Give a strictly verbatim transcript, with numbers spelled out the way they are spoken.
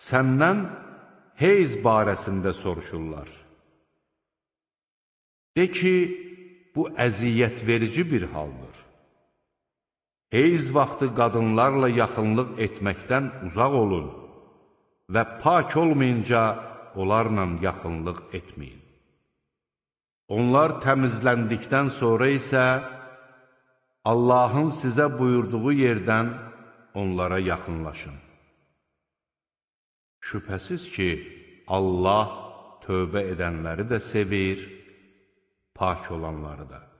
Səndən heyz barəsində soruşurlar. De ki, bu əziyyət verici bir haldır. Heyz vaxtı qadınlarla yaxınlıq etməkdən uzaq olun və pak olmayınca onlarla yaxınlıq etməyin. Onlar təmizləndikdən sonra isə Allahın sizə buyurduğu yerdən onlara yaxınlaşın. Şübhəsiz ki, Allah tövbə edənləri də sevir, pak olanları da.